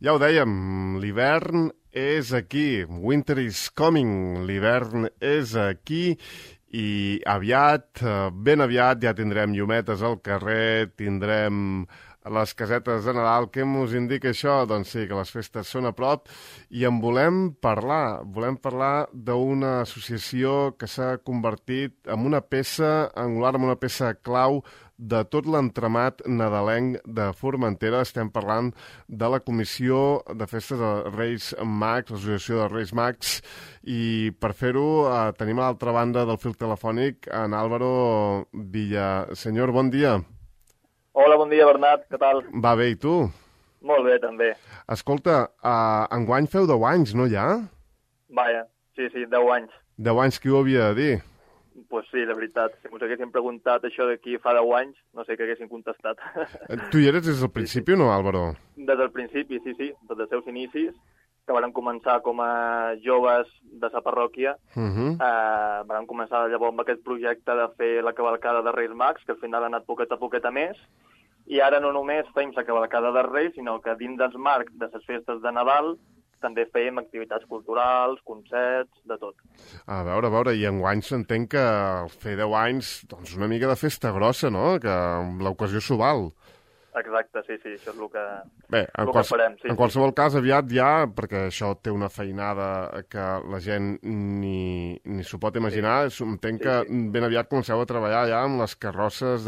Ja ho dèiem, l'hivern és aquí, winter is coming, l'hivern és aquí i aviat, ben aviat, ja tindrem llumetes al carrer, tindrem les casetes de Nadal. Què mos indica això? Doncs sí, que les festes són a prop i en volem parlar d'una associació que s'ha convertit en una peça angular, en una peça clau de tot l'entramat nadalenc de Formentera. Estem parlant de la Comissió de Festes de Reis Mags, l'Associació de Reis Mags, i per fer-ho tenim a l'altra banda del fil telefònic en Álvaro Villaseñor. Bon dia. Hola, bon dia, Bernat. Què tal? Va bé, i tu? Molt bé, també. Escolta, enguany feu 10 anys, no ja? Vaja, sí, 10 anys. 10 anys, qui ho havia de dir? Pues sí, la veritat. Si ens haguéssim preguntat això d'aquí fa 10 anys, no sé què haguéssim contestat. Tu hi eres des del principi o no, Álvaro? Des del principi, sí, des dels seus inicis, que varen començar com a joves de sa parròquia. Varen començar llavors amb aquest projecte de fer la cavalcada de Reis Mags, que al final ha anat poquet a més, i ara no només fem la cavalcada de Reis, sinó que dins dels marcs de les festes de Nadal també fèiem activitats culturals, concerts, de tot. A veure, i enguany s'entén que fer 10 anys, doncs una mica de festa grossa, no? Que l'ocasió s'ho val. Exacte, sí, això és el que, bé, farem. Sí, en qualsevol cas, aviat ja, perquè això té una feinada que la gent ni s'ho pot imaginar, entenc que ben aviat comenceu a treballar ja amb les carrosses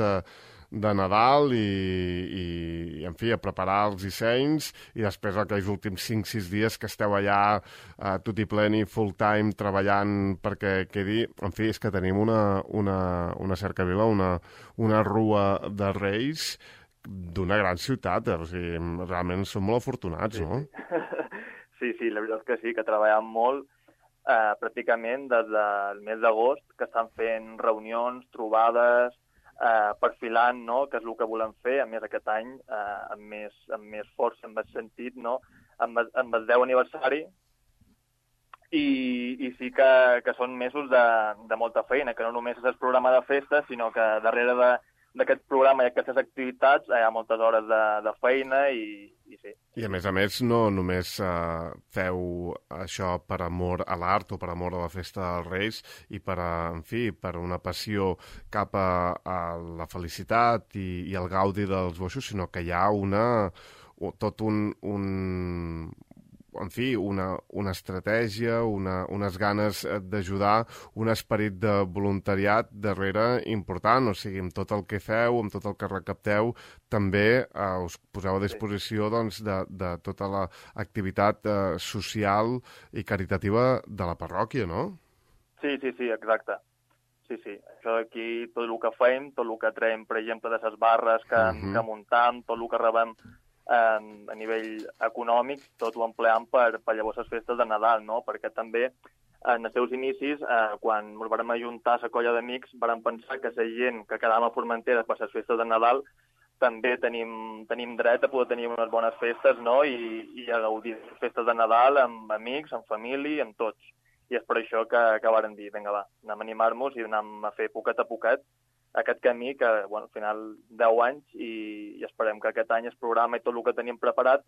de Nadal i en fi, a preparar els dissenys i després aquells últims 5-6 dies que esteu allà tot i pleni, full time, treballant perquè quedi. En fi, és que tenim una cercavila, una rua de Reis d'una gran ciutat, o sigui, realment som molt afortunats, no? Sí, la veritat és que sí, que treballem molt, pràcticament des del mes d'agost, que estan fent reunions, trobades, perfilant, no?, que és el que volem fer, a més aquest any, amb més força, en aquest sentit, no?, amb el 10 aniversari, i sí que són mesos de molta feina, que no només és el programa de festes, sinó que darrere d'aquest programa i aquestes activitats hi ha moltes hores de feina i sí. I a més, no només feu això per amor a l'art o per amor a la festa dels Reis i per una passió cap a la felicitat i el gaudi dels boixos, sinó que hi ha una estratègia, unes ganes d'ajudar, un esperit de voluntariat darrere important, o sigui, amb tot el que feu, amb tot el que recapteu, també us poseu a disposició doncs, de tota l'activitat social i caritativa de la parròquia, no? Sí, exacte. Sí, això d'aquí, tot el que fem, tot el que traiem, per exemple, de les barres que muntam, tot el que rebem a nivell econòmic, tot ho empleam per llavors les festes de Nadal, no? Perquè també en els seus inicis, quan ens vam ajuntar a la colla d'amics, vam pensar que la gent que quedàvem a Formentera per les festes de Nadal també tenim dret a poder tenir unes bones festes, no? I a gaudir de les festes de Nadal amb amics, amb família, amb tots. I és per això que vàrem dir, vinga, va, anem a animar-nos i anem a fer poquet a poquet aquest camí que, bueno, al final 10 anys i esperem que aquest any el programa i tot el que tenim preparat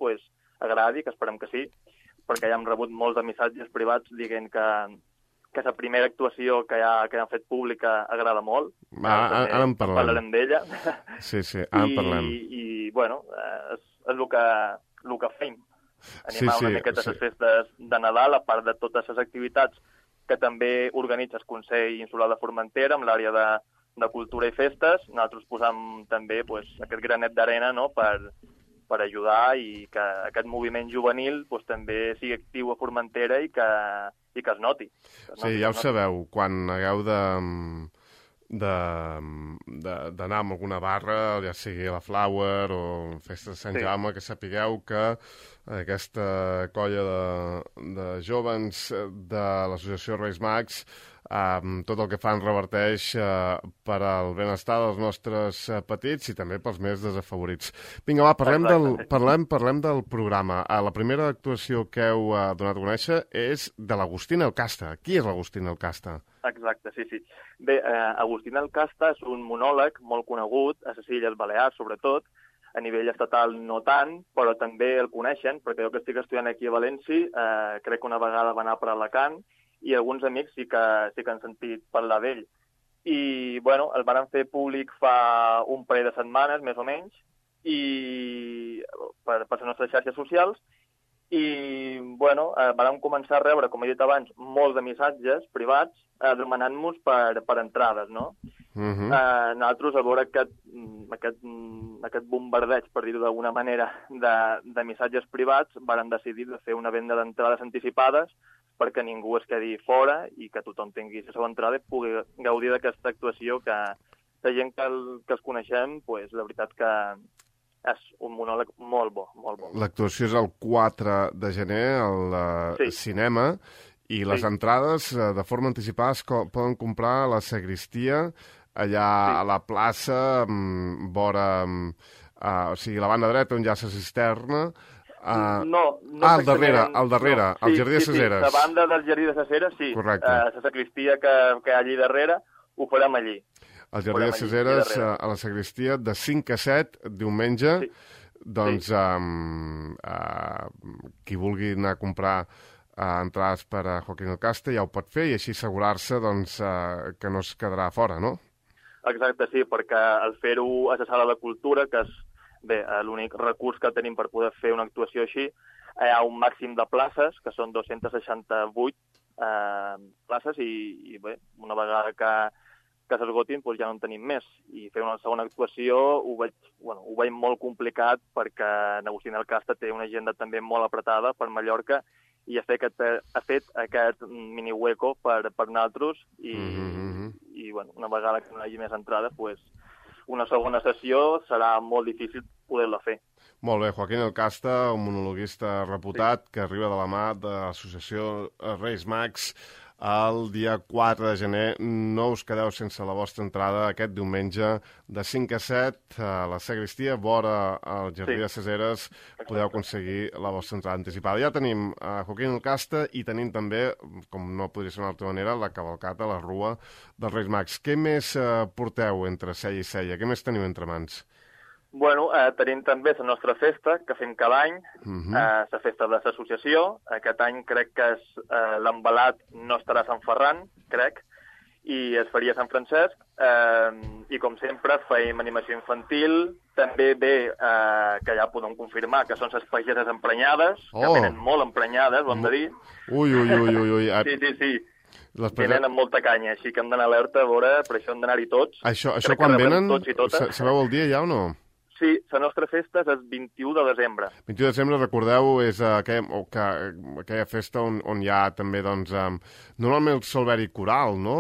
agradi, que esperem que sí, perquè ja hem rebut molts de missatges privats dient que la primera actuació que han fet pública agrada molt. Ara en parlarem d'ella. Sí, ara en parlem. I bueno, és el que fem. Animar una miqueta les festes de Nadal, a part de totes les activitats que també organitza el Consell Insular de Formentera amb l'àrea de cultura i festes. Nosaltres posam també aquest granet d'arena, no?, per ajudar i que aquest moviment juvenil també sigui actiu a Formentera i que es noti. Sí, ja ho sabeu, quan hagueu d'anar a alguna barra, ja sigui a la Flower o Festa de Sant Jaume, que sapigueu que aquesta colla de jovens de l'Associació Reis Mags tot el que fan reverteix per al benestar dels nostres petits i també pels més desafavorits. Vinga, va, parlem del programa. La primera actuació que heu donat a conèixer és de l'Agustín Elcasta. Qui és l'Agustín Elcasta? Exacte, sí. Bé, Agustín Elcasta és un monòleg molt conegut, a les Illes Balears sobretot, a nivell estatal no tant, però també el coneixen, perquè jo que estic estudiant aquí a València, crec que una vegada va anar per Alacant, i alguns amics sí que han sentit parlar d'ell. I, bueno, el van fer públic fa un parell de setmanes, més o menys, i per les nostres xarxes socials, i, bueno, vam començar a rebre, com he dit abans, molts de missatges privats demanant-nos per entrades, no? Nosaltres, a veure aquest bombardeig, per dir-ho d'alguna manera, de missatges privats, varen decidir de fer una venda d'entrades anticipades perquè ningú es quedi fora i que tothom tingui la seva entrada i pugui gaudir d'aquesta actuació que la gent que els coneixem, pues, la veritat que és un monòleg molt bo, molt bo. L'actuació és el 4 de gener al cinema i les entrades de forma anticipada es poden comprar a la sagristia, allà a la plaça, vora, o sigui, la banda dreta on hi ha la cisterna. Al darrere, al Jardí de ses Eres. La banda del Jardí de ses Eres, sí. Correcte. La sagristia que hi ha allí darrere, ho farem allí. Al Jardí de ses Eres, a la sagristia, de 5 a 7, diumenge. Doncs qui vulgui anar a comprar entrades per a Joaquín el Casta ja ho pot fer i així assegurar-se que no es quedarà fora, no? Exacte, sí, perquè al fer-ho a la Sala de Cultura, que és l'únic recurs que tenim per poder fer una actuació així, hi ha un màxim de places, que són 268 places, i bé, una vegada que s'esgotin, doncs ja no en tenim més. I fer una segona actuació ho veig molt complicat perquè Agustín el Casta té una agenda també molt apretada per Mallorca i ha fet aquest mini hueco per nosaltres i bueno, una vegada que no hi hagi més entrades, doncs una segona sessió serà molt difícil poder-la fer. Molt bé, Joaquín el Casta, un monologuista reputat que arriba de la mà de l'associació Reis Mags el dia 4 de gener. No us quedeu sense la vostra entrada aquest diumenge de 5 a 7 a la sagristia, vora al Jardí de ses Eres. Podeu aconseguir la vostra entrada anticipada. Ja tenim Joaquín el Casta i tenim també, com no podria ser d'una altra manera, la cavalcata, la rua dels Reis Mags. Què més porteu entre cella i cella? Què més teniu entre mans? Bueno, tenim també la nostra festa, que fem cada any, la festa de l'associació. Aquest any crec que l'embalat no estarà a Sant Ferran, crec, i es faria a Sant Francesc. I, com sempre, feim animació infantil. També que ja podem confirmar que són les pageses emprenyades, que venen molt emprenyades, ho hem de dir. Ui. Sí. Venen amb molta canya, així que hem d'anar alerta, a veure, per això hem d'anar-hi tots. Això quan venen, sabeu el dia ja o no? Sí, la nostra festa és el 21 de desembre. 21 de desembre, recordeu, és aquella festa on hi ha també, doncs, normalment el solveri coral, no?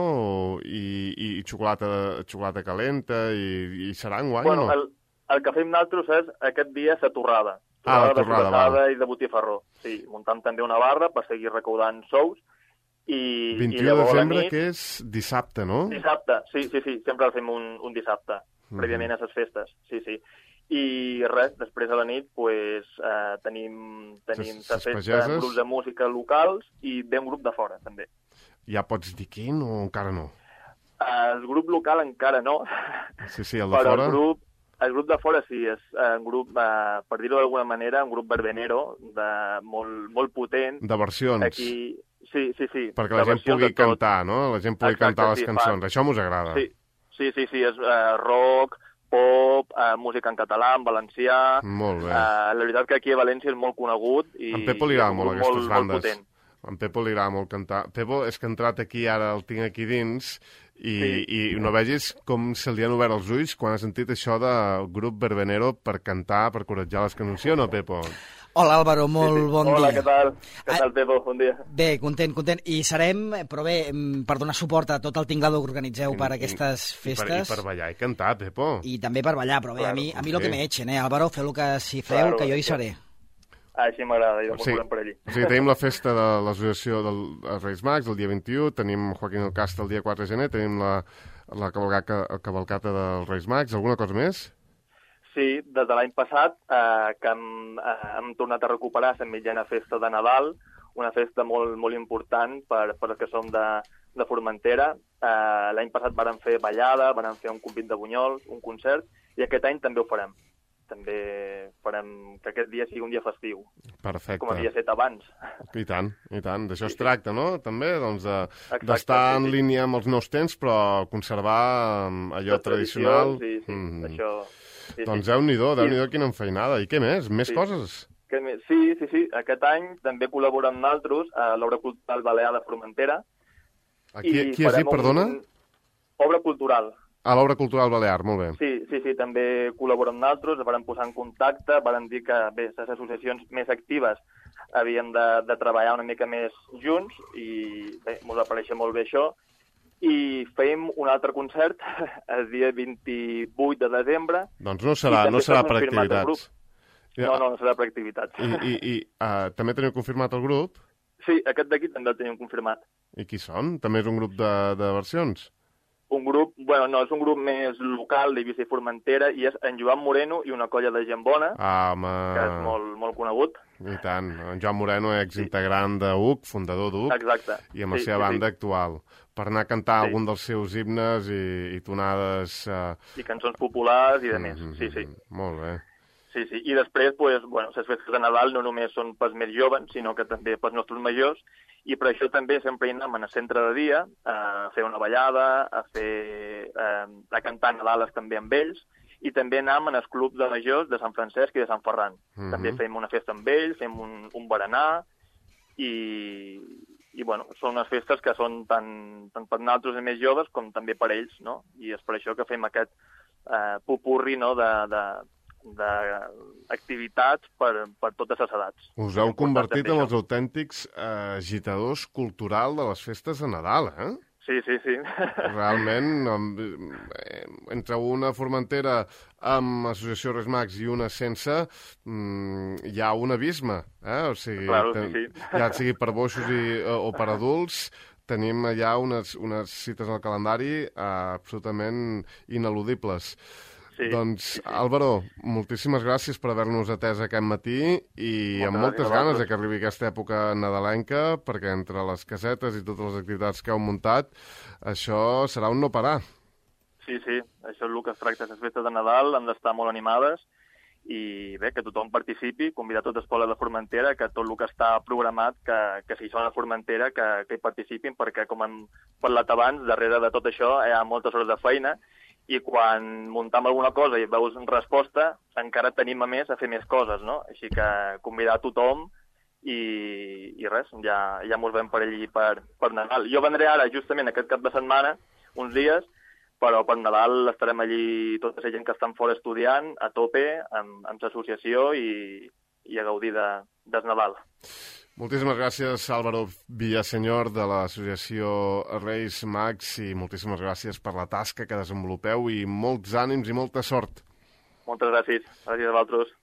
I xocolata calenta, i serà enguany, o no? El que fem nosaltres és aquest dia la torrada. La torrada i de botifarró. Sí, muntam també una barra per seguir recaudant sous. 21 de desembre, que és dissabte, no? Dissabte, sí, sempre el fem un dissabte, prèviament a les festes, sí. I res, després a la nit tenim la festa amb grups de música locals i ve un grup de fora, també. Ja pots dir quin o encara no? El grup local encara no. Sí, el de fora? Però el grup de fora sí, és un grup, per dir-ho d'alguna manera, un grup verbenero, molt potent. De versions. Aquí, sí. Perquè la gent pugui cantar, no? La gent pugui cantar les cançons. Això mos agrada. Sí, és rock, pop, música en català, en valencià. Molt bé. La veritat que aquí a València és molt conegut i en Pepo li agrada molt aquestes bandes. Molt potent. En Pepo li agrada molt cantar. Pepo és que ha entrat aquí, ara el tinc aquí dins, i no vegis com se li han obert els ulls quan ha sentit això del grup verbenero per cantar, per corretjar les cançons, o no, Pepo? Hola, Álvaro, molt bon dia. Hola, què tal? Què tal, Pepo? Bon dia. Bé, content. I serem, però bé, per donar suport a tot el tinglado que organitzeu per aquestes festes. I per ballar i cantar, Pepo. I també per ballar, però bé, a mi lo que me echen, Álvaro, feu el que si feu, que jo hi seré. Així m'agrada, jo m'ho volem per allí. O sigui, tenim la festa de l'associació dels Reis Mags el dia 21, tenim Joaquín el Casta el dia 4 de gener, tenim la cavalcata dels Reis Mags. Alguna cosa més? Sí, des de l'any passat que hem tornat a recuperar la mitjana festa de Nadal, una festa molt, molt important per els que som de Formentera. L'any passat vàrem fer ballada, vàrem fer un convit de bunyols, un concert, i aquest any també ho farem. també farem que aquest dia sigui un dia festiu. Perfecte. Com havia estat abans. I tant, i tant. D'això es tracta, no? També, doncs, Exacte, en línia amb els nous temps, però conservar allò tradicional. Sí, això... Doncs Déu-n'hi-do, quina enfeinada. I què més? Més coses? Sí. Aquest any també col·laborem amb nosaltres a l'Obra Cultural Balear de Formentera. Qui has dit, perdona? Obra Cultural. A l'Obra Cultural Balear, molt bé. Sí, també col·laborem amb nosaltres, vam posar en contacte, vam dir que bé, les associacions més actives havien de treballar una mica més junts i bé, ens apareixia molt bé això. I fèiem un altre concert el dia 28 de desembre. Doncs no serà per activitats. No serà per activitats. I també teniu confirmat el grup? Sí, aquest d'aquí també el tenim confirmat. I qui són? També és un grup de versions? Un grup, és un grup més local d'Eivissa i Formentera i és en Joan Moreno i una colla de gent bona, que és molt conegut. I tant, en Joan Moreno, exintegrant d'UC, fundador d'UC, exacte. I amb la seva banda actual, per anar a cantar algun dels seus himnes i tonades... I cançons populars i de més, sí. Molt bé. Sí, i després, les festes de Nadal no només són pels més joves, sinó que també pels nostres majors, i per això també sempre hi anem al centre de dia a fer una ballada, a cantar Nadales també amb ells, i també anem en el club de majors de Sant Francesc i de Sant Ferran. També fem una festa amb ells, fem un berenar, i són unes festes que són tant per nosaltres més joves com també per ells, no? I és per això que fem aquest popurri, no?, d'activitats per totes les edats. Us heu convertit en els autèntics agitadors culturals de les festes de Nadal, eh? Sí. Realment, entre una Formentera amb Associació Reis Mags i una sense, hi ha un abisme, eh? O sigui, ja sigui per boixos o per adults, tenim allà unes cites al calendari absolutament ineludibles. Sí, doncs, Álvaro, moltíssimes gràcies per haver-nos atès aquest matí i amb moltes ganes que arribi aquesta època nadalenca, perquè entre les casetes i totes les activitats que heu muntat, això serà un no parar. Sí, això és el que es tracta. Les festes de Nadal han d'estar molt animades i bé, que tothom participi, convidar tot l'Escola de Formentera, que tot el que està programat, que si són a Formentera, que hi participin, perquè com hem parlat abans, darrere de tot això hi ha moltes hores de feina, i quan muntem alguna cosa i veus resposta, encara tenim a més a fer més coses, no? Així que convidar a tothom i res, ja mos veiem per allí per Nadal. Jo vendré ara, justament, aquest cap de setmana, uns dies, però per Nadal estarem allí tota la gent que estan fora estudiant, a tope, amb l'associació i a gaudir del Nadal. Moltíssimes gràcies, Álvaro Villaseñor, de l'associació Reis Mags, i moltíssimes gràcies per la tasca que desenvolupeu i molts ànims i molta sort. Moltes gràcies. Gràcies a vosaltres.